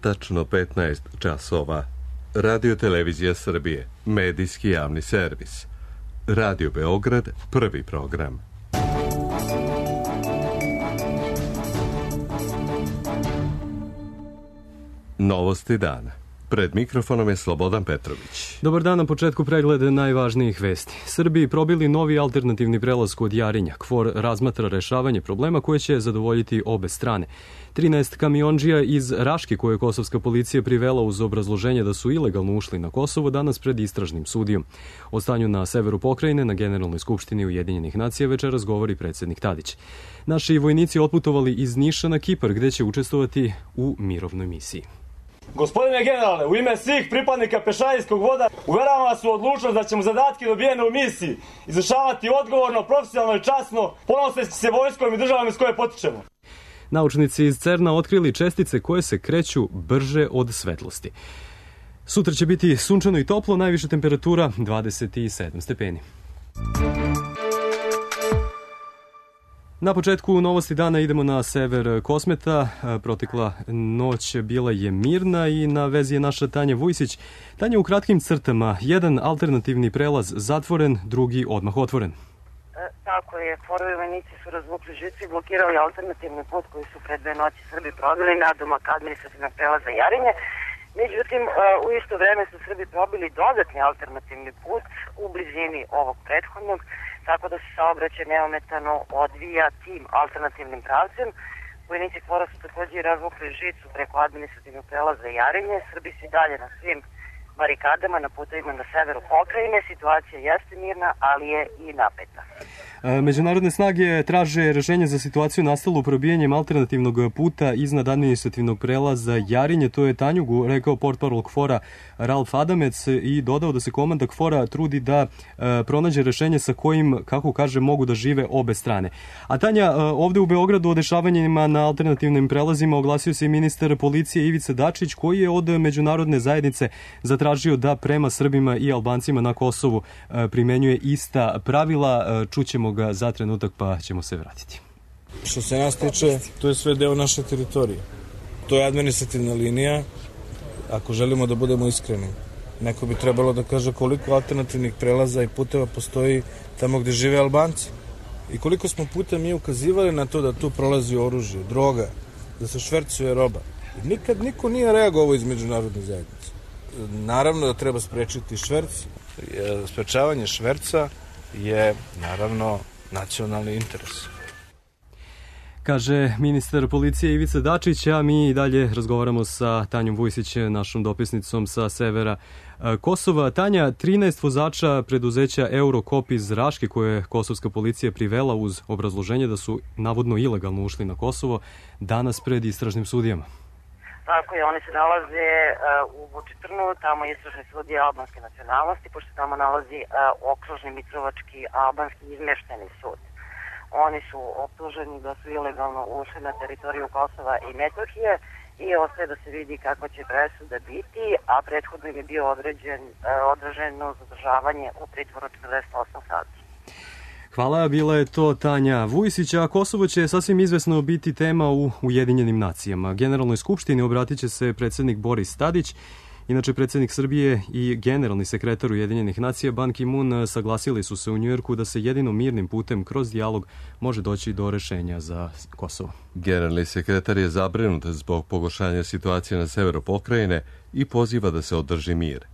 tačno 15 časova. Radio Televizija Srbije, medijski javni servis. Radio Beograd, prvi program. Novosti dana. Pred mikrofonom je Slobodan Petrović. Dobar dan, na početku pregled najvažnijih vesti. Srbiji probili novi alternativni prelaz kod Jarinja. KFOR razmatra rešavanje problema koje će zadovoljiti obe strane. 13 kamiondžija iz Raške koje je kosovska policija privela uz obrazloženje da su ilegalno ušli na Kosovo danas pred istražnim sudijom. O stanju na severu pokrajine na Generalnoj skupštini Ujedinjenih nacija večeras govori predsjednik Tadić. Naši vojnici otputovali iz Niša na Kipar gde će učestvovati u mirovnoj misiji. Gospodine generale, u ime svih pripadnika pešadijskog voda uveravam vas u odlučnost da ćemo zadatke dobijene u misiji izvršavati odgovorno, profesionalno i časno, ponoseći se vojskom i državom iz koje potičemo. Naučnici iz CERN-a otkrili čestice koje se kreću brže od svetlosti. Sutra će biti sunčano i toplo, najviša temperatura 27 stepeni. Na početku novosti dana idemo na sever Kosmeta. Protekla noć bila je mirna i na vezi je naša Tanja Vujsić. Tanja, u kratkim crtama, jedan alternativni prelaz zatvoren, drugi odmah otvoren. Tako je, KFOR-ovi vojnici su razvukli žicu i blokirali alternativni put koji su pred 2 noći Srbi probili na domak administrativnog prelaza Jarinje. Međutim, u isto vreme su Srbi probili dodatni alternativni put u blizini ovog prethodnog, tako da se saobraćaj neometano odvija tim alternativnim pravcem. Vojnici KFOR-a su također razvukli žicu preko administrativnog prelaza Jarinje. Srbi su dalje na svim barikadama na putevima na severu pokrajine. Situacija jeste mirna, ali je i napeta. Međunarodne snage traže rešenje za situaciju nastalu probijanjem alternativnog puta iznad administrativnog prelaza Jarinje. To je Tanjugu rekao portparol KFOR-a Ralf Adamec i dodao da se komanda KFOR-a trudi da pronađe rešenje sa kojim, kako kaže, mogu da žive obe strane. A Tanja, ovde u Beogradu o dešavanjima na alternativnim prelazima oglasio se i ministar policije Ivica Dačić, koji je od međunarodne zajednice zatražio da prema Srbima i Albancima na Kosovu primenjuje ista pravila. Čućemo ga za trenutak pa ćemo se vratiti. Što se nas tiče, to je sve deo naše teritorije. To je administrativna linija. Ako želimo da budemo iskreni, neko bi trebalo da kaže koliko alternativnih prelaza i puteva postoji tamo gde žive Albanci. I koliko smo puta mi ukazivali na to da tu prolazi oružje, droga, da se švercuje roba. I nikad niko nije reagovao iz međunarodne zajednice. Naravno da treba sprečiti šverc. Sprečavanje šverca je naravno nacionalni interes. Kaže ministar policije Ivica Dačić, a mi i dalje razgovaramo sa Tanjom Vujsić, našom dopisnicom sa severa Kosova. Tanja, 13 vozača preduzeća Eurokop iz Raške koje je kosovska policija privela uz obrazloženje da su navodno ilegalno ušli na Kosovo, danas pred istražnim sudijama. Tako je, oni se nalaze u Vučitrnu, tamo je istražni sudija albanske nacionalnosti, pošto tamo nalazi okružni Mitrovački albanski izmešteni sud. Oni su optuženi da su ilegalno ušli na teritoriju Kosova i Metohije i ostaje da se vidi kakva će presuda biti, a prethodno im je bio određeno zadržavanje u pritvoru 48 sati. Hvala, bila je to Tanja Vujsić, a Kosovo će sasvim izvesno biti tema u Ujedinjenim nacijama. Generalnoj skupštini obratit će se predsjednik Boris Tadić. Inače, predsjednik Srbije i generalni sekretar Ujedinjenih nacija Ban Ki-moon saglasili su se u Njujorku da se jedino mirnim putem kroz dijalog može doći do rešenja za Kosovo. Generalni sekretar je zabrinut zbog pogoršanja situacije na severu pokrajine i poziva da se održi mir.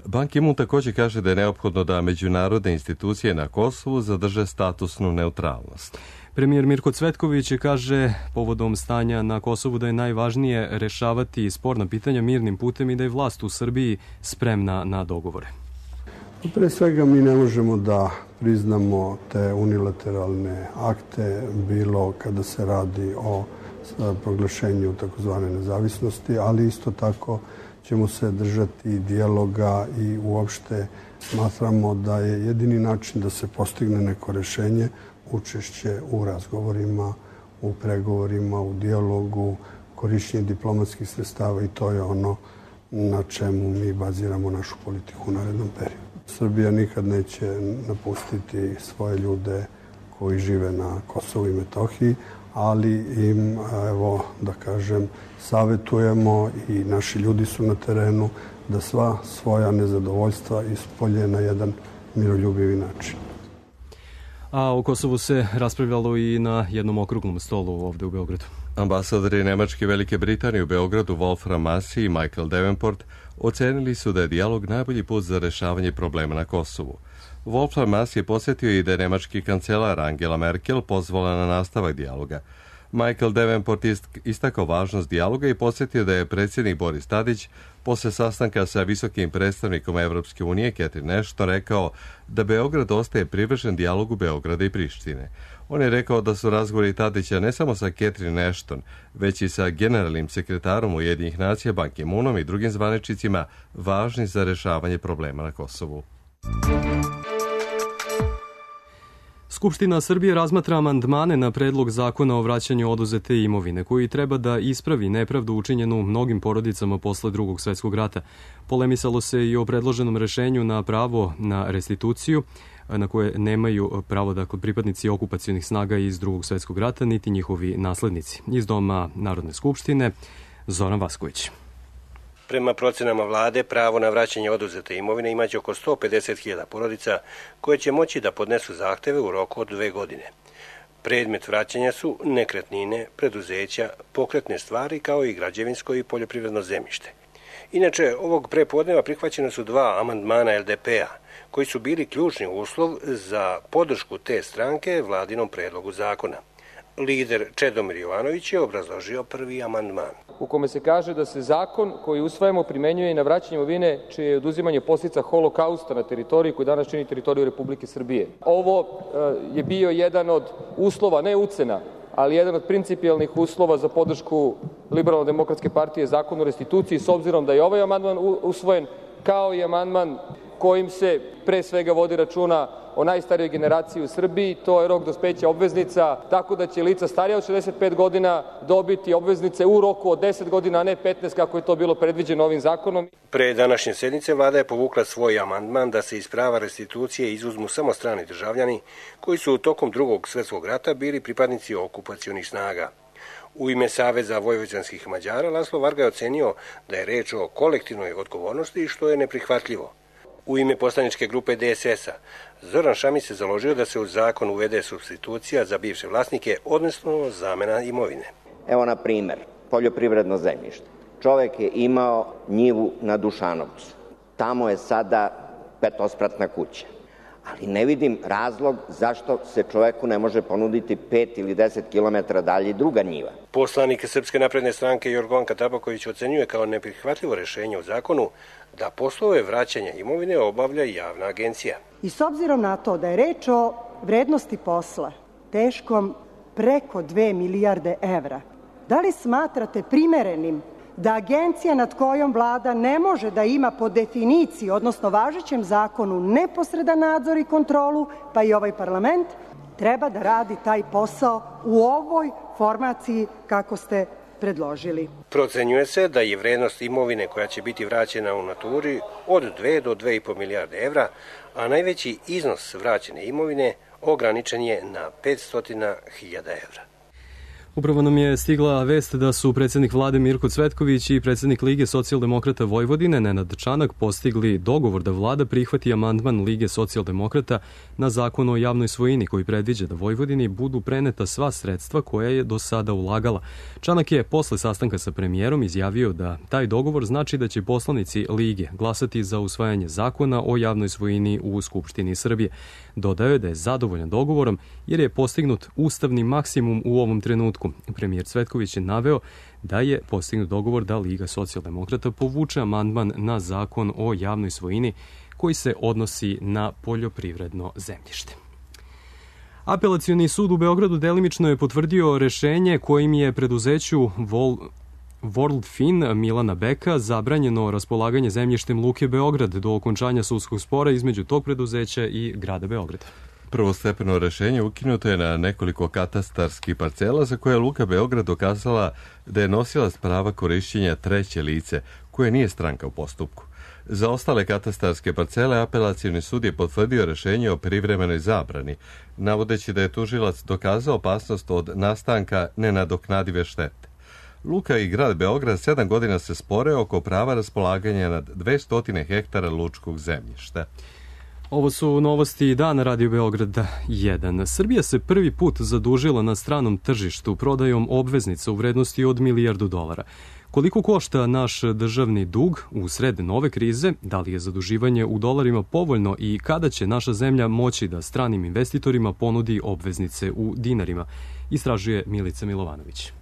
Ban Ki-moon također kaže da je neophodno da međunarodne institucije na Kosovu zadrže statusnu neutralnost. Premijer Mirko Cvetković kaže povodom stanja na Kosovu da je najvažnije rešavati sporna pitanja mirnim putem i da je vlast u Srbiji spremna na dogovore. Pre svega mi ne možemo da priznamo te unilateralne akte, bilo kada se radi o proglašenju takozvane nezavisnosti, ali isto tako ćemo se držati dijaloga i uopšte smatramo da je jedini način da se postigne neko rešenje učešće u razgovorima, u pregovorima, u dijalogu, korišćenje diplomatskih sredstava i to je ono na čemu mi baziramo našu politiku u narednom periodu. Srbija nikad neće napustiti svoje ljude koji žive na Kosovu i Metohiji, ali im, evo, da kažem, savjetujemo i naši ljudi su na terenu da sva svoja nezadovoljstva ispolje na jedan miroljubivi način. A o Kosovu se raspravljalo i na jednom okruglom stolu ovde u Beogradu. Ambasadori Nemačke i Velike Britanije u Beogradu Wolfram Massey i Michael Davenport ocenili su da je dijalog najbolji put za rešavanje problema na Kosovu. Wolfram Massey je posjetio i da je nemački kancelar Angela Merkel pozvala na nastavak dijaloga. Michael Davenport istakao važnost dijaloga i posjetio da je predsjednik Boris Tadić posle sastanka sa visokim predstavnikom Evropske unije Catherine Ashton rekao da Beograd ostaje privržen dijalogu Beograda i Prištine. On je rekao da su razgovori Tadića ne samo sa Catherine Ashton, već i sa generalnim sekretarom Ujedinjenih nacija Ban Ki-moonom i drugim zvaničnicima važni za rešavanje problema na Kosovu. Skupština Srbije razmatra amandmane na predlog zakona o vraćanju oduzete imovine, koji treba da ispravi nepravdu učinjenu mnogim porodicama posle Drugog svjetskog rata. Polemisalo se i o predloženom rešenju na pravo na restituciju, na koje nemaju pravo pripadnici okupacionih snaga iz Drugog svjetskog rata, niti njihovi naslednici. Iz Doma Narodne skupštine, Zoran Vasković. Prema procenama vlade, pravo na vraćanje oduzete imovine imaće oko 150.000 porodica koje će moći da podnesu zahteve u roku od 2 godine. Predmet vraćanja su nekretnine, preduzeća, pokretne stvari kao i građevinsko i poljoprivredno zemljište. Inače, ovog prepodneva prihvaćene su 2 amandmana LDP-a, koji su bili ključni uslov za podršku te stranke vladinom predlogu zakona. Lider Čedomir Jovanović je obrazložio prvi amandman, u kome se kaže da se zakon koji usvajamo primenjuje i na vraćanje imovine čije je oduzimanje posljedica holokausta na teritoriji koji danas čini teritoriju Republike Srbije. Ovo je bio jedan od uslova, ne ucena, ali jedan od principijelnih uslova za podršku Liberalno-demokratske partije zakonu o restituciji, s obzirom da je ovaj amandman usvojen, kao i amandman kojim se pre svega vodi računa o najstarijoj generaciji u Srbiji, to je rok dospeća obveznica, tako da će lica starija od 65 godina dobiti obveznice u roku od 10 godina, a ne 15 kako je to bilo predviđeno ovim zakonom. Pre današnje sednice vlada je povukla svoj amandman da se iz prava restitucije izuzmu samo strani državljani koji su tokom Drugog svjetskog rata bili pripadnici okupacionih snaga. U ime Saveza vojvođanskih Mađara Laslo Varga je ocenio da je reč o kolektivnoj odgovornosti, što je neprihvatljivo. U ime poslaničke grupe DSS-a Zoran Šamić se založio da se u zakon uvede supstitucija za bivše vlasnike, odnosno zamena imovine. Evo na primer, poljoprivredno zemljište. Čovek je imao njivu na Dušanovcu. Tamo je sada petospratna kuća. Ali ne vidim razlog zašto se čoveku ne može ponuditi 5 ili 10 kilometara dalje druga njiva. Poslanik Srpske napredne stranke Jorgovanka Tabaković ocenjuje kao neprihvatljivo rešenje u zakonu da poslove vraćanja imovine obavlja javna agencija. I s obzirom na to da je reč o vrednosti posla teškom preko 2 milijarde evra, da li smatrate primerenim da agencija nad kojom vlada ne može da ima po definiciji, odnosno važećem zakonu, neposredan nadzor i kontrolu, pa i ovaj parlament, treba da radi taj posao u ovoj formaciji kako ste predložili? Procenjuje se da je vrednost imovine koja će biti vraćena u naturi od 2 do 2,5 milijarde evra, a najveći iznos vraćene imovine ograničen je na 500.000 evra. Upravo nam je stigla vest da su predsjednik vlade Mirko Cvetković i predsjednik Lige socijaldemokrata Vojvodine Nenad Čanak postigli dogovor da vlada prihvati amandman Lige socijaldemokrata na zakon o javnoj svojini koji predviđa da Vojvodini budu preneta sva sredstva koja je do sada ulagala. Čanak je posle sastanka sa premijerom izjavio da taj dogovor znači da će poslanici Lige glasati za usvajanje zakona o javnoj svojini u Skupštini Srbije. Dodao je da je zadovoljan dogovorom jer je postignut ustavni maksimum u ovom trenutku. Premijer Cvetković je naveo da je postignut dogovor da Liga socijaldemokrata povuče amandman na zakon o javnoj svojini koji se odnosi na poljoprivredno zemljište. Apelacioni sud u Beogradu delimično je potvrdio rešenje kojim je preduzeću Worldfin Milana Beka zabranjeno raspolaganje zemljištem Luke Beograd do okončanja sudskog spora između tog preduzeća i grada Beograda. Prvostepeno rešenje ukinuto je na nekoliko katastarskih parcela za koje je Luka Beograd dokazala da je nosilac prava korišćenja treće lice, koje nije stranka u postupku. Za ostale katastarske parcele apelacioni sud je potvrdio rešenje o privremenoj zabrani, navodeći da je tužilac dokazao opasnost od nastanka nenadoknadive štete. Luka i grad Beograd 7 godina se spore oko prava raspolaganja nad 200 hektara lučkog zemljišta. Ovo su novosti dana Radio Beograda 1. Srbija se prvi put zadužila na stranom tržištu prodajom obveznica u vrednosti od $1 milijardu. Koliko košta naš državni dug u sred nove krize, da li je zaduživanje u dolarima povoljno i kada će naša zemlja moći da stranim investitorima ponudi obveznice u dinarima, istražuje Milica Milovanović.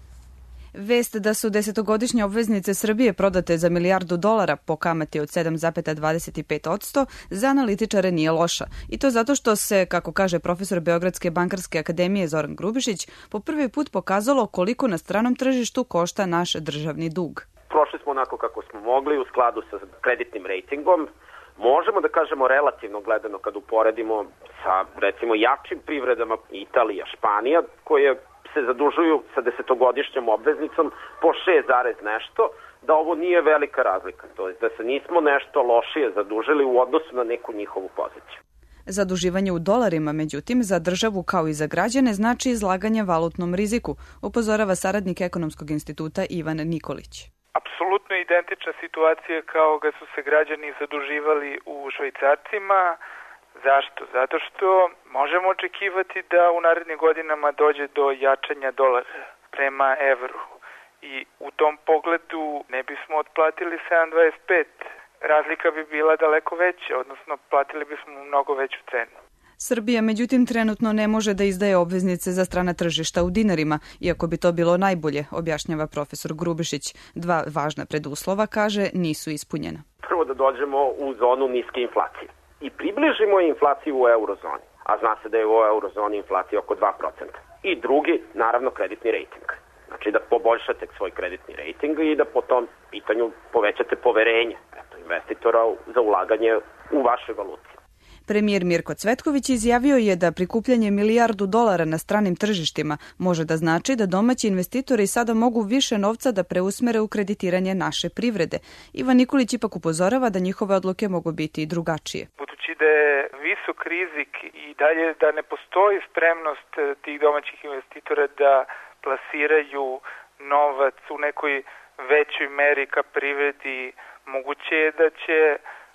Vest da su 10-godišnje obveznice Srbije prodate za $1 milijardu po kamati od 7,25% za analitičare nije loša. I to zato što se, kako kaže profesor Beogradske bankarske akademije Zoran Grubišić, po prvi put pokazalo koliko na stranom tržištu košta naš državni dug. Prošli smo onako kako smo mogli u skladu sa kreditnim rejtingom. Možemo da kažemo relativno gledano kad uporedimo sa recimo jačim privredama Italija, Španija, koje se zadužuju sa 10-godišnjom obveznicom po 6, nešto, da ovo nije velika razlika. To je da se nismo nešto lošije zadužili u odnosu na neku njihovu poziciju. Zaduživanje u dolarima, međutim, za državu kao i za građane znači izlaganje valutnom riziku, upozorava saradnik Ekonomskog instituta Ivan Nikolić. Apsolutno identična situacija kao kad su se građani zaduživali u švajcarcima. Zašto? Zato što možemo očekivati da u narednim godinama dođe do jačanja dolara prema evru i u tom pogledu ne bismo otplatili 7,25. Razlika bi bila daleko veća, odnosno platili bismo mnogo veću cenu. Srbija, međutim, trenutno ne može da izdaje obveznice za strana tržišta u dinarima, iako bi to bilo najbolje, objašnjava profesor Grubišić. 2 važna preduslova, kaže, nisu ispunjena. Prvo da dođemo u zonu niske inflacije i približimo inflaciju u eurozoni, a zna se da je u eurozoni inflacija oko 2%. I drugi, naravno, kreditni rejting. Znači da poboljšate svoj kreditni rejting i da po tom pitanju povećate poverenje investitora za ulaganje u vašoj valuti. Premijer Mirko Cvetković izjavio je da prikupljanje $1 milijardu na stranim tržištima može da znači da domaći investitori sada mogu više novca da preusmere u kreditiranje naše privrede. Ivan Nikolić ipak upozorava da njihove odluke mogu biti i drugačije. Budući da je visok rizik i dalje da ne postoji spremnost tih domaćih investitora da plasiraju novac u nekoj većoj meri ka privredi, moguće je da će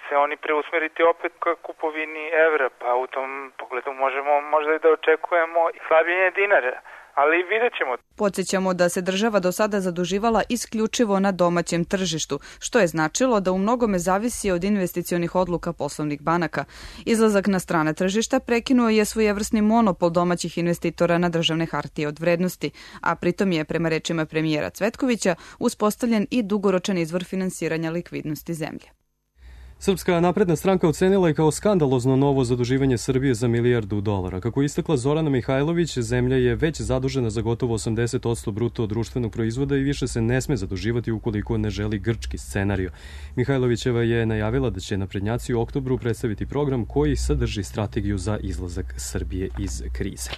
se oni preusmeriti opet ka kupovini evra, pa u tom pogledu možemo možda i da očekujemo slabljenje dinara, ali vidjet ćemo. Podsjećamo da se država do sada zaduživala isključivo na domaćem tržištu, što je značilo da u mnogome zavisi od investicionih odluka poslovnih banaka. Izlazak na strane tržišta prekinuo je svojevrsni monopol domaćih investitora na državne hartije od vrednosti, a pritom je, prema rečima premijera Cvetkovića, uspostavljen i dugoročan izvor finansiranja likvidnosti zemlje. Srpska napredna stranka ocenila je kao skandalozno novo zaduživanje Srbije za $1 milijardu. Kako je istakla Zorana Mihajlović, zemlja je već zadužena za gotovo 80% bruto društvenog proizvoda i više se ne sme zaduživati ukoliko ne želi grčki scenario. Mihajlovićeva je najavila da će naprednjaci u oktobru predstaviti program koji sadrži strategiju za izlazak Srbije iz krize.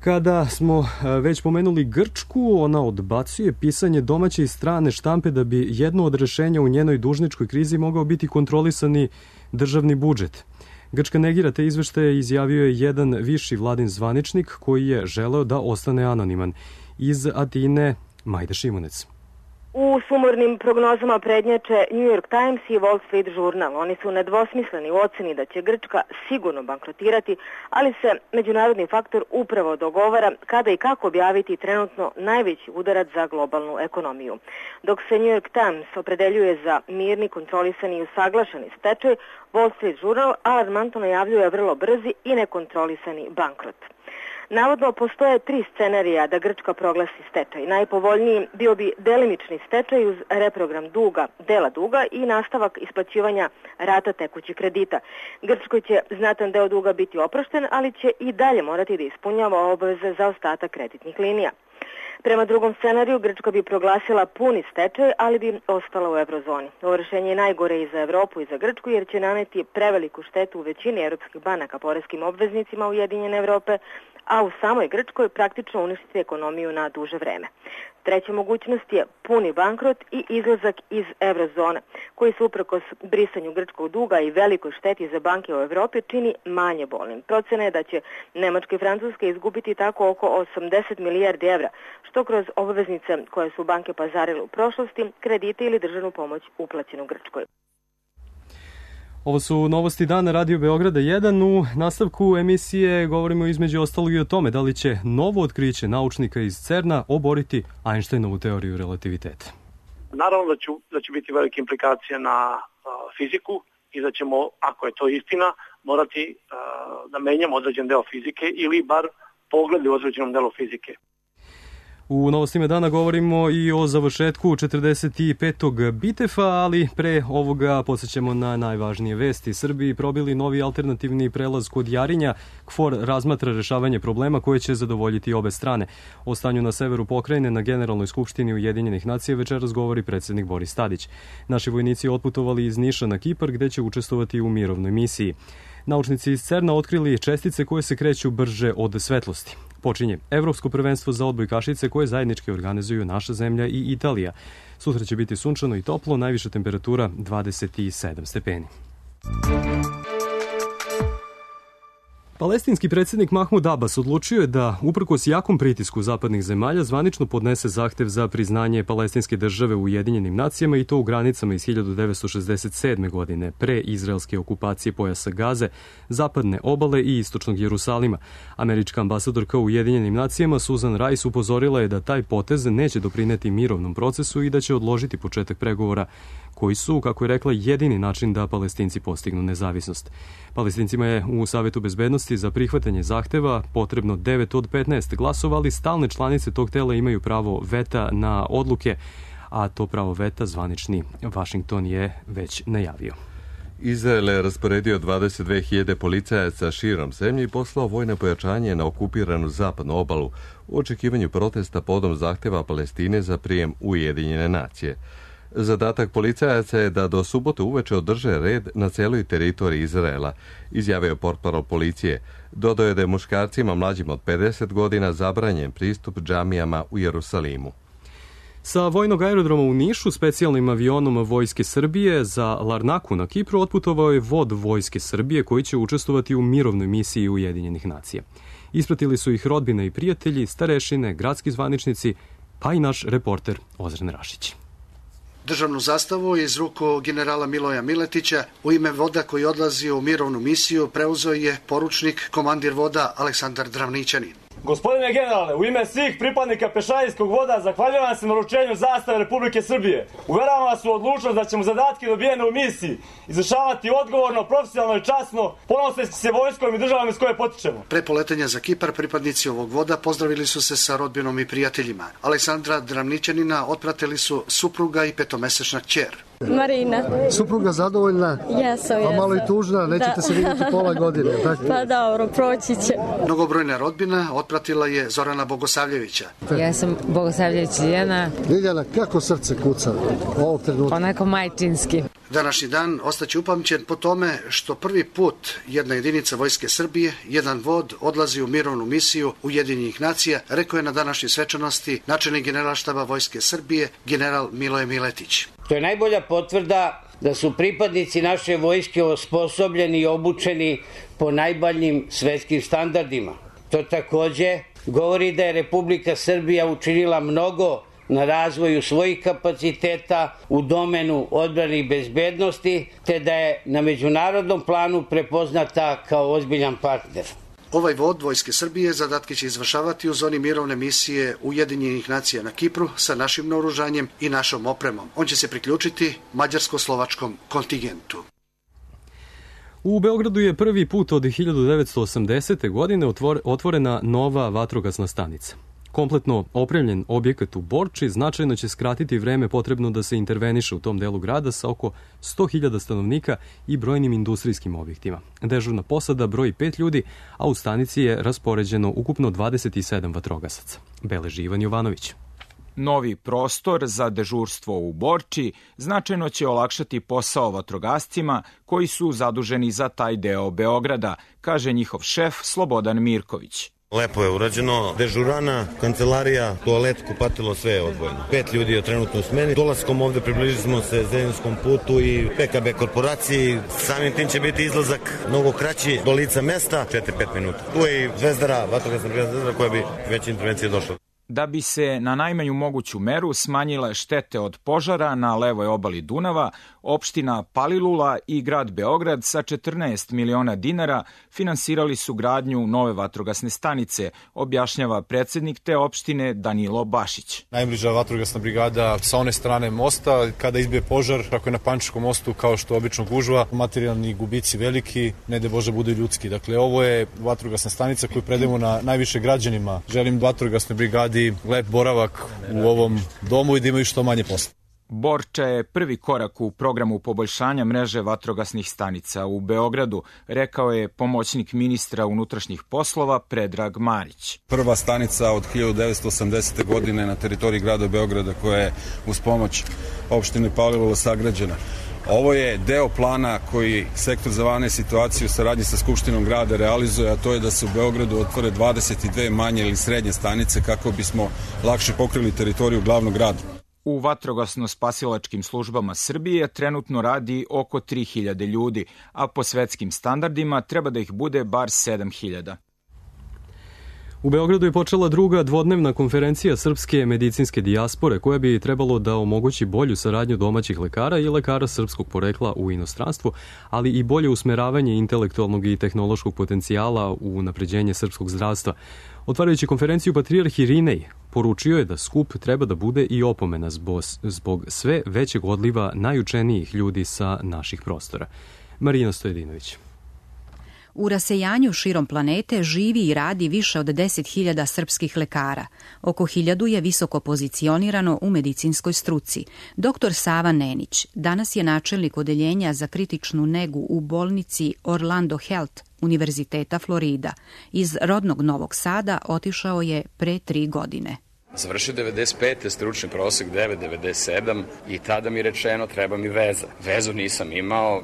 Kada smo već pomenuli Grčku, ona odbacuje pisanje domaće i strane štampe da bi jedno od rešenja u njenoj dužničkoj krizi mogao biti kontrolisani državni budžet. Grčka negira te izveštaje, izjavio je jedan viši vladin zvaničnik koji je želeo da ostane anoniman. Iz Atine, Majda Šimunec. U sumornim prognozama prednjače New York Times i Wall Street Journal. Oni su nedvosmisleni u oceni da će Grčka sigurno bankrotirati, ali se međunarodni faktor upravo dogovara kada i kako objaviti trenutno najveći udarac za globalnu ekonomiju. Dok se New York Times opredeljuje za mirni, kontrolisani i usaglašeni stečaj, Wall Street Journal alarmantno najavljuje vrlo brzi i nekontrolisani bankrot. Navodno postoje 3 scenarija da Grčka proglasi stečaj. Najpovoljniji bio bi delimični stečaj uz reprogram dela duga i nastavak isplaćivanja rata tekućih kredita. Grčkoj će znatan deo duga biti oprošten, ali će i dalje morati da ispunjava obaveze za ostatak kreditnih linija. Prema drugom scenariju, Grčka bi proglasila puni stečaj, ali bi ostala u eurozoni. Ovo rešenje je najgore i za Evropu i za Grčku, jer će naneti preveliku štetu u većini evropskih banaka poreskim obveznicima Ujedinjene Evrope, a u samoj Grčkoj praktično uništiti ekonomiju na duže vreme. Treća mogućnost je puni bankrot i izlazak iz eurozone, koji se uprkos brisanju grčkog duga i velikoj šteti za banke u Evropi čini manje bolnim. Procena je da će Nemačka i Francuska izgubiti tako oko 80 milijardi evra, što kroz obveznice koje su banke pazarile u prošlosti, kredite ili državnu pomoć uplaćenu Grčkoj. Ovo su novosti dana Radio Beograda 1. U nastavku emisije govorimo između ostalog i o tome da li će novo otkriće naučnika iz CERN-a oboriti Einsteinovu teoriju relativiteta. Naravno da će biti velike implikacije na fiziku i da ćemo, ako je to istina, morati da menjamo određen deo fizike ili bar pogled u određenom delu fizike. U novostima dana govorimo i o završetku 45. Bitefa, ali pre ovoga podsjećamo na najvažnije vesti. Srbiji probili novi alternativni prelaz kod Jarinja. KFOR razmatra rešavanje problema koje će zadovoljiti obe strane. O stanju na severu pokrajine na Generalnoj skupštini Ujedinjenih nacija večeras govori predsednik Boris Tadić. Naši vojnici otputovali iz Niša na Kipar gde će učestvovati u mirovnoj misiji. Naučnici iz CERN-a otkrili čestice koje se kreću brže od svetlosti. Počinje Evropsko prvenstvo za odbojkašice koje zajednički organizuju naša zemlja i Italija. Sutra će biti sunčano i toplo, najviša temperatura 27 stepeni. Palestinski predsjednik Mahmud Abbas odlučio je da, uprkos jakom pritisku zapadnih zemalja, zvanično podnese zahtev za priznanje palestinske države u Ujedinjenim nacijama i to u granicama iz 1967. godine, pre izraelske okupacije pojasa Gaze, zapadne obale i istočnog Jerusalima. Američka ambasadorka u Ujedinjenim nacijama Susan Rice upozorila je da taj potez neće doprineti mirovnom procesu i da će odložiti početak pregovora koji su, kako je rekla, jedini način da Palestinci postignu nezavisnost. Palestincima je u Savetu bezbednosti za prihvatanje zahteva potrebno 9 od 15 glasova, ali stalne članice tog tela imaju pravo veta na odluke, a to pravo veta zvanični Vašington je već najavio. Izrael je rasporedio 22.000 policajaca širom zemlje i poslao vojno pojačanje na okupiranu zapadnu obalu u očekivanju protesta podom zahteva Palestine za prijem Ujedinjene nacije. Zadatak policajaca je da do subote uveče održe red na celoj teritoriji Izraela, izjavio portparol policije. Dodao je da je muškarcima mlađim od 50 godina zabranjen pristup džamijama u Jerusalimu. Sa vojnog aerodroma u Nišu specijalnim avionom Vojske Srbije za Larnaku na Kipru otputovao je vod Vojske Srbije koji će učestvovati u mirovnoj misiji Ujedinjenih nacija. Ispratili su ih rodbina i prijatelji, starešine, gradski zvaničnici, pa i naš reporter Ozren Rašić. Državnu zastavu iz ruku generala Miloja Miletića u ime voda koji odlazi u mirovnu misiju preuzeo je poručnik, komandir voda Aleksandar Dravnićanin. Gospodine generale, u ime svih pripadnika pešadijskog voda zahvaljujem vam se na uručenju zastave Republike Srbije. Uveravam vas u odlučnost da ćemo zadatke dobijene u misiji izvršavati odgovorno, profesionalno i časno, ponoseći se vojskom i državom iz koje potičemo. Pre poletanja za Kipar pripadnici ovog voda pozdravili su se sa rodbinom i prijateljima. Aleksandra Dravnićanina otpratili su supruga i petomesečna kćer. Marina. Supruga zadovoljna? Jesam. A malo i tužna, nećete se vidjeti pola godine, tako? Pa dobro, proći će. Mnogobrojna rodbina otpratila je Zorana Bogosavljevića. Ja sam Bogosavljević Ljiljana. Ljiljana, kako srce kuca ovog trenutka? Onako majčinski. Današnji dan ostaće upamćen po tome što prvi put jedna jedinica Vojske Srbije, jedan vod, odlazi u mirovnu misiju Ujedinjenih nacija, rekao je na današnjoj svečanosti načelnik Generalštaba Vojske Srbije, general Miloje Miletić. To je najbolja potvrda da su pripadnici naše vojske osposobljeni i obučeni po najboljim svetskim standardima. To takođe govori da je Republika Srbija učinila mnogo na razvoju svojih kapaciteta u domenu odbrane i bezbednosti, te da je na međunarodnom planu prepoznata kao ozbiljan partner. Ovaj vod Vojske Srbije zadatke će izvršavati u zoni mirovne misije Ujedinjenih nacija na Kipru sa našim naoružanjem i našom opremom. On će se priključiti mađarsko-slovačkom kontingentu. U Beogradu je prvi put od 1980. godine otvorena nova vatrogasna stanica. Kompletno opremljen objekat u Borči značajno će skratiti vreme potrebno da se interveniše u tom delu grada sa oko 100.000 stanovnika i brojnim industrijskim objektima. Dežurna posada broji 5 ljudi, a u stanici je raspoređeno ukupno 27 vatrogasaca. Beleži Ivan Jovanović. Novi prostor za dežurstvo u Borči značajno će olakšati posao vatrogascima koji su zaduženi za taj deo Beograda, kaže njihov šef Slobodan Mirković. Lepo je urađeno, dežurana, kancelarija, toalet, kupatilo, sve je odvojeno. 5 ljudi je trenutno u smeni. Dolaskom ovde približili smo se Zeninskom putu i PKB korporaciji. Samim tim će biti izlazak mnogo kraći do lica mesta, 4-5 minuta. Tu je i Zvezdara, vatrogasna brigada Zvezdara koja bi već intervencije došla. Da bi se na najmanju moguću meru smanjile štete od požara na levoj obali Dunava, opština Palilula i grad Beograd sa 14 miliona dinara finansirali su gradnju nove vatrogasne stanice, objašnjava predsednik te opštine Danilo Bašić. Najbliža vatrogasna brigada sa one strane mosta, kada izbije požar, ako je na Pančiškom mostu, kao što obično gužva, materijalni gubici veliki, ne de Bože budu ljudski. Dakle, ovo je vatrogasna stanica koju predajemo na najviše građanima. Želim vatrogasnoj brigadi lep boravak u ovom domu i da imaju što manje posla. Borča je prvi korak u programu poboljšanja mreže vatrogasnih stanica u Beogradu, rekao je pomoćnik ministra unutrašnjih poslova Predrag Marić. Prva stanica od 1980. godine na teritoriji grada Beograda koja je uz pomoć opštine Palilula sagrađena. Ovo je deo plana koji Sektor za vanredne situacije u saradnji sa Skupštinom grada realizuje, a to je da se u Beogradu otvore 22 manje ili srednje stanice kako bismo lakše pokrili teritoriju glavnog grada. U vatrogasno-spasilačkim službama Srbije trenutno radi oko 3.000 ljudi, a po svetskim standardima treba da ih bude bar 7.000. U Beogradu je počela druga dvodnevna konferencija srpske medicinske dijaspore koja bi trebalo da omogući bolju saradnju domaćih lekara i lekara srpskog porekla u inostranstvu, ali i bolje usmeravanje intelektualnog i tehnološkog potencijala u unapređenje srpskog zdravstva. Otvarajući konferenciju, patrijarh Irinej poručio je da skup treba da bude i opomena zbog sve većeg odliva najučenijih ljudi sa naših prostora. Marina Stojedinović. U rasejanju širom planete živi i radi više od 10.000 srpskih lekara. Oko 1.000 je visoko pozicionirano u medicinskoj struci. Dr. Sava Nenić danas je načelnik odeljenja za kritičnu negu u bolnici Orlando Health Univerziteta Florida. Iz rodnog Novog Sada otišao je pre 3 godine. Završio 95. stručni prosek 9,97 i tada mi rečeno treba mi veza. Vezu nisam imao.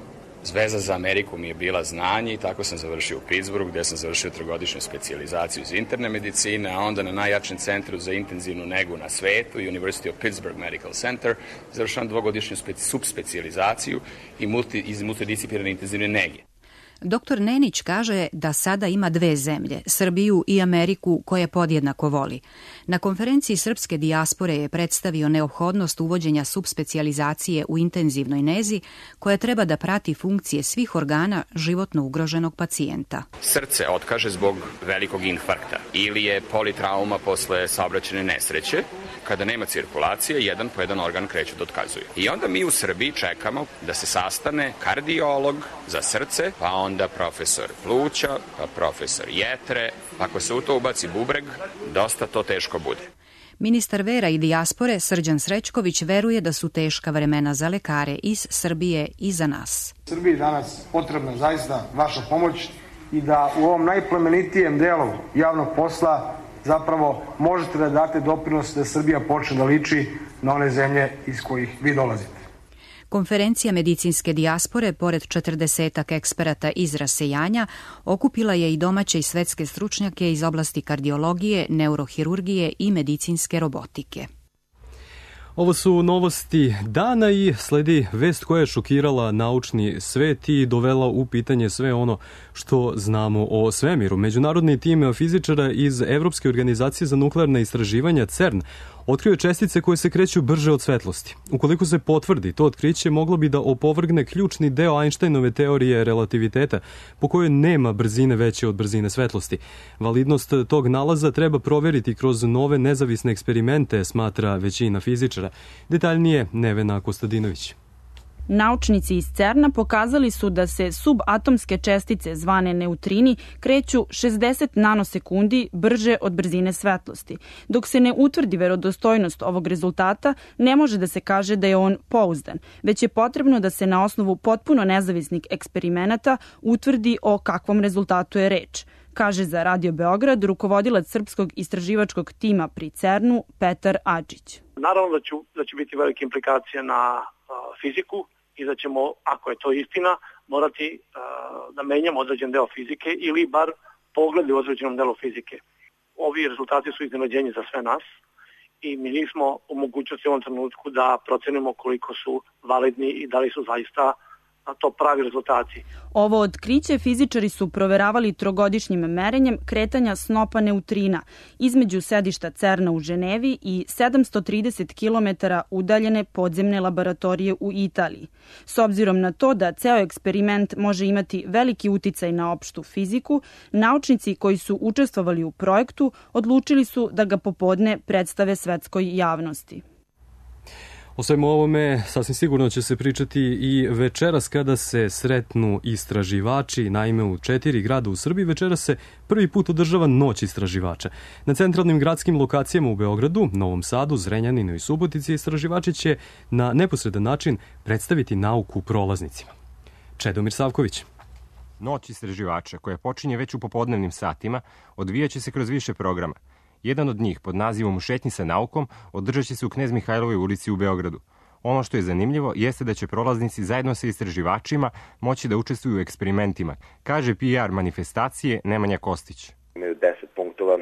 Veza za Ameriku mi je bila znanje i tako sam završio u Pittsburghu gde sam završio 3-godišnju specijalizaciju iz interne medicine, a onda na najjačem centru za intenzivnu negu na svetu, University of Pittsburgh Medical Center, završavam 2-godišnju subspecijalizaciju iz multidisciplinarne intenzivne nege. Dr. Nenić kaže da sada ima 2 zemlje, Srbiju i Ameriku, koje podjednako voli. Na konferenciji srpske dijaspore je predstavio neophodnost uvođenja subspecijalizacije u intenzivnoj nezi, koja treba da prati funkcije svih organa životno ugroženog pacijenta. Srce otkaže zbog velikog infarkta ili je politrauma posle saobraćajne nesreće. Kada nema cirkulacije, jedan po jedan organ kreću da otkazuju. I onda mi u Srbiji čekamo da se sastane kardiolog za srce, pa onda profesor pluća, pa profesor jetre. Ako se u to ubaci bubreg, dosta to teško bude. Ministar vera i dijaspore Srđan Srećković veruje da su teška vremena za lekare iz Srbije i za nas. Srbiji danas potrebna zaista vaša pomoć i da u ovom najplemenitijem delu javnog posla zapravo možete da date doprinos da Srbija počne da liči na one zemlje iz kojih vi dolazite. Konferencija medicinske dijaspore, pored 40 eksperata iz rasejanja, okupila je i domaće i svetske stručnjake iz oblasti kardiologije, neurohirurgije i medicinske robotike. Ovo su novosti dana i sledi vest koja je šokirala naučni svet i dovela u pitanje sve ono što znamo o svemiru. Međunarodni tim fizičara iz Evropske organizacije za nuklearna istraživanja CERN otkrio je čestice koje se kreću brže od svetlosti. Ukoliko se potvrdi, to otkriće moglo bi da opovrgne ključni deo Einsteinove teorije relativiteta, po kojoj nema brzine veće od brzine svetlosti. Validnost tog nalaza treba proveriti kroz nove nezavisne eksperimente, smatra većina fizičara. Detaljnije Nevena Kostadinović. Naučnici iz CERN-a pokazali su da se subatomske čestice zvane neutrini kreću 60 nanosekundi brže od brzine svetlosti. Dok se ne utvrdi verodostojnost ovog rezultata, ne može da se kaže da je on pouzdan, već je potrebno da se na osnovu potpuno nezavisnih eksperimenata utvrdi o kakvom rezultatu je reč, kaže za Radio Beograd rukovodilac srpskog istraživačkog tima pri CERN-u Petar Adžić. Naravno da će biti velike implikacije na fiziku i da ćemo, ako je to istina, morati da menjamo određen deo fizike ili bar pogledi u određenom delu fizike. Ovi rezultati su iznenađenje za sve nas i mi nismo u mogućnosti u ovom trenutku da procenimo koliko su validni i da li su zaista to pravi rezultati. Ovo otkriće fizičari su proveravali trogodišnjim merenjem kretanja snopa neutrina između sedišta CERN-a u Ženevi i 730 km udaljene podzemne laboratorije u Italiji. S obzirom na to da ceo eksperiment može imati veliki uticaj na opštu fiziku, naučnici koji su učestvovali u projektu odlučili su da ga popodne predstave svetskoj javnosti. O svemu ovome sasvim sigurno će se pričati i večeras kada se sretnu istraživači. Naime, u 4 grada u Srbiji večeras se prvi put održava Noć istraživača. Na centralnim gradskim lokacijama u Beogradu, Novom Sadu, Zrenjaninu i Subotici istraživači će na neposredan način predstaviti nauku prolaznicima. Čedomir Savković. Noć istraživača, koja počinje već u popodnevnim satima, odvijaće se kroz više programa. Jedan od njih, pod nazivom U šetnji sa naukom, održat će se u Knez Mihajlovoj ulici u Beogradu. Ono što je zanimljivo jeste da će prolaznici zajedno sa istraživačima moći da učestvuju u eksperimentima, kaže PR manifestacije Nemanja Kostić. Imaju 10 punktova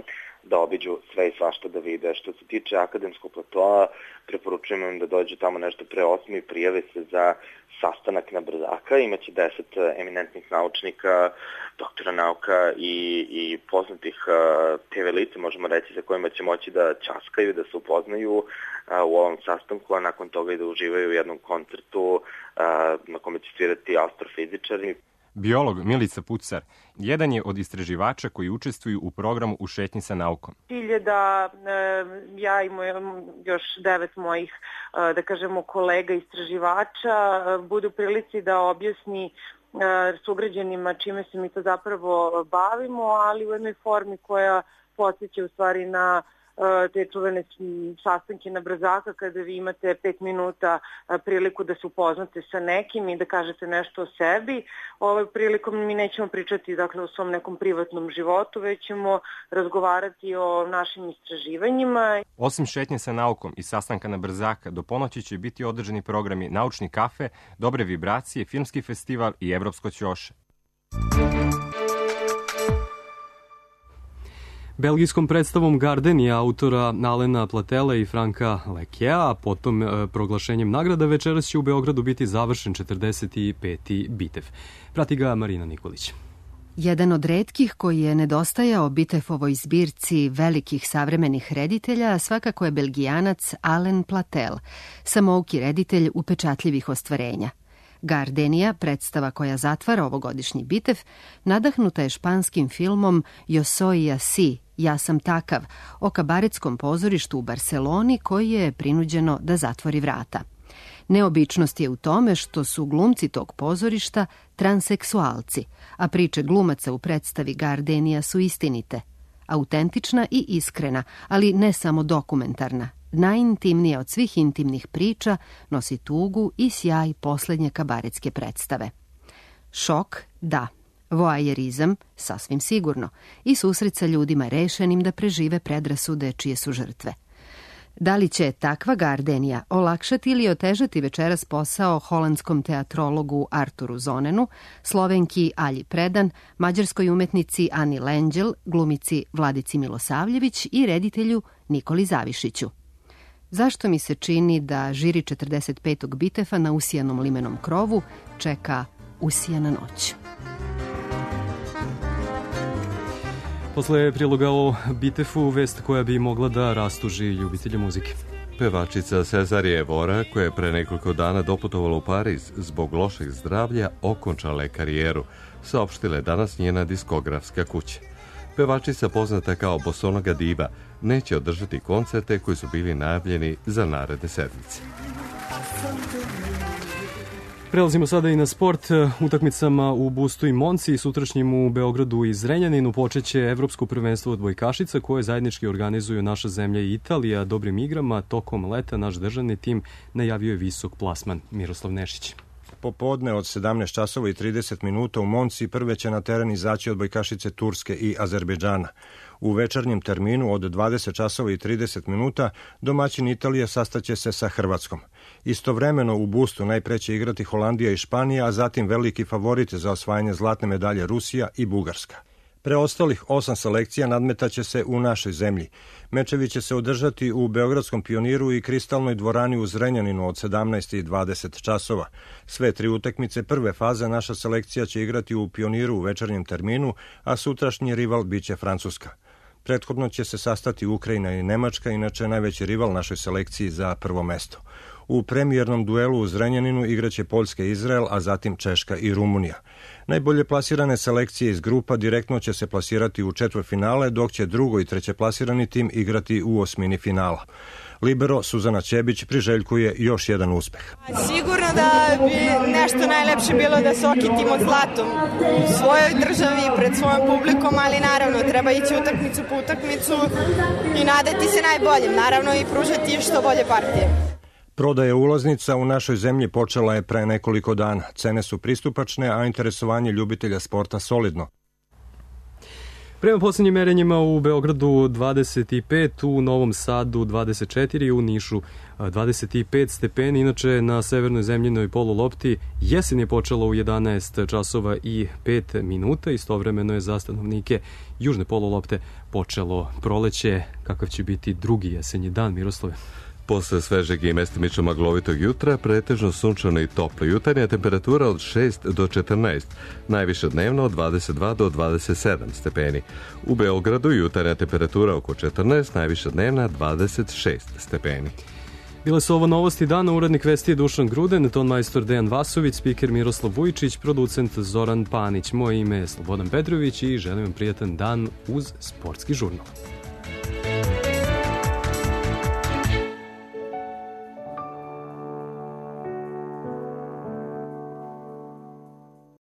da obiđu sve i svašta da vide. Što se tiče akademskog platoa, preporučujem im da dođu tamo nešto pre 8 i prijave se za sastanak na Brzaka. Imaće 10 eminentnih naučnika, doktora nauka i poznatih TV lica, možemo reći, za kojima će moći da ćaskaju, da se upoznaju u ovom sastanku, a nakon toga i da uživaju u jednom koncertu na kome će svirati astrofizičari. Biolog Milica Pucar jedan je od istraživača koji učestvuju u programu U šetnji sa naukom. Cilj je da ja i još 9 mojih, da kažemo, kolega istraživača budu u prilici da objasni sugrađanima čime se mi to zapravo bavimo, ali u jednoj formi koja podsjeća u stvari na te čuvene sastanke na Brzaka kada vi imate 5 minuta priliku da se upoznate sa nekim i da kažete nešto o sebi. Ovom prilikom mi nećemo pričati dakle o svom nekom privatnom životu, već ćemo razgovarati o našim istraživanjima. Osim šetnje sa naukom i sastanka na Brzaka, do ponoći će biti održani programi Naučni kafe, Dobre vibracije, Filmski festival i Evropsko ćoše. Belgijskom predstavom Gardenia autora Alena Platela i Franka Lekea, a potom proglašenjem nagrada večeras će u Beogradu biti završen 45. bitev. Prati ga Marina Nikolić. Jedan od retkih koji je nedostajao Bitefovoj zbirci velikih savremenih reditelja svakako je Belgijanac Alen Platel, samouki reditelj upečatljivih ostvarenja. Gardenia, predstava koja zatvara ovogodišnji bitev, nadahnuta je španskim filmom Yo soy así, Ja sam takav, o kabaretskom pozorištu u Barseloni koji je prinuđeno da zatvori vrata. Neobičnost je u tome što su glumci tog pozorišta transseksualci, a priče glumaca u predstavi Gardenia su istinite, autentična i iskrena, ali ne samo dokumentarna. Najintimnija od svih intimnih priča nosi tugu i sjaj poslednje kabaretske predstave. Šok, da. Voajerizam, sasvim sigurno. I susret sa ljudima rešenim da prežive predrasude čije su žrtve. Da li će takva Gardenia olakšati ili otežati večeras posao holandskom teatrologu Arturu Zonenu, Slovenki Alji Predan, mađarskoj umetnici Ani Lenđel, glumici Vladici Milosavljević i reditelju Nikoli Zavišiću? Zašto mi se čini da žiri 45. bitefa na usijanom limenom krovu čeka usijana noć? Posle priloga o bitefu, vest koja bi mogla da rastuži ljubitelje muzike. Pevačica Cezarije Evora, koja je pre nekoliko dana doputovala u Pariz zbog lošeg zdravlja, okončala je karijeru, saopštila je danas njena diskografska kuća. Pevačica, poznata kao Bosonoga diva, neće održati koncerte koji su bili najavljeni za naredne sedmice. Prelazimo sada i na sport. Utakmicama u Bustu i Monci i sutrašnjim u Beogradu i Zrenjaninu počeće Evropsko prvenstvo odbojkašica koje zajednički organizuju naša zemlja i Italija. Dobrim igrama tokom leta naš državni tim najavio je visok plasman. Miroslav Nešić. Popodne od 17 časova i 30 minuta u Monci prve će na teren izaći odbojkašice Turske i Azerbejdžana. U večernjem terminu od 20 časova i 30 minuta domaćin Italije sastaće se sa Hrvatskom. Istovremeno u Bustu najpre će igrati Holandija i Španija, a zatim veliki favoriti za osvajanje zlatne medalje Rusija i Bugarska. Preostalih 8 selekcija nadmetaće se u našoj zemlji. Mečevi će se održati u Beogradskom Pioniru i Kristalnoj dvorani u Zrenjaninu od 17 i 20 časova. Sve 3 utakmice prve faze naša selekcija će igrati u Pioniru u večernjem terminu, a sutrašnji rival biće Francuska. Prethodno će se sastati Ukrajina i Nemačka, inače najveći rival našoj selekciji za prvo mesto. U premijernom duelu u Zrenjaninu igraće Poljska i Izrael, a zatim Češka i Rumunija. Najbolje plasirane selekcije iz grupa direktno će se plasirati u četvrtfinale, dok će drugo i treće plasirani tim igrati u osmini finala. Libero Suzana Ćebić priželjkuje još jedan uspeh. Sigurno da bi nešto najlepše bilo da se okitimo zlatom u svojoj državi, pred svojom publikom, ali naravno treba ići utakmicu po utakmicu i nadati se najboljim, naravno i pružati što bolje partije. Prodaja ulaznica u našoj zemlji počela je pre nekoliko dana. Cene su pristupačne, a interesovanje ljubitelja sporta solidno. Prema posljednjim merenjima u Beogradu 25, u Novom Sadu 24, u Nišu 25 stepeni. Inače, na severnoj zemljinoj polulopti jesen je počela u 11 časova i 5 minuta. Istovremeno je za stanovnike južne polulopte počelo proleće. Kakav će biti drugi jesenji dan, Miroslave? Posle svežeg i mestimično maglovitog jutra, pretežno sunčano i toplo. Jutarnja temperatura od 6 do 14, najviše dnevno od 22 do 27 stepeni. U Beogradu jutarnja temperatura oko 14, najviše dnevna 26 stepeni. Bile su ovo novosti dana, urednik vesti je Dušan Gruden, tonmajstor Dejan Vasović, spiker Miroslav Vujičić, producent Zoran Panić. Moje ime je Slobodan Petrović i želim vam prijatan dan uz sportski žurnal.